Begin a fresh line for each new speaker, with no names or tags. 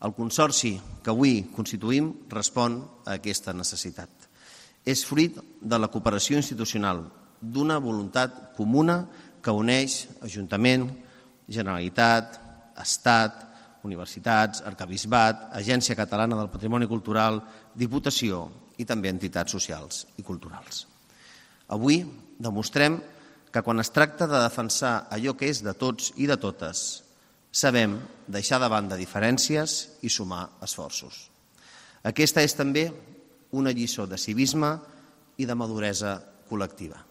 El consorci que avui constituïm respon a aquesta necessitat. És fruit de la cooperació institucional, d'una voluntat comuna que uneix Ajuntament, Generalitat, Estat, universitats, arquebisbat, Agència Catalana del Patrimoni Cultural, Diputació i també entitats socials i culturals. Avui demostrem que quan es tracta de defensar allò que és de tots i de totes, sabem deixar de banda diferències i sumar esforços. Aquesta és també una lliçó de civisme i de maduresa col·lectiva.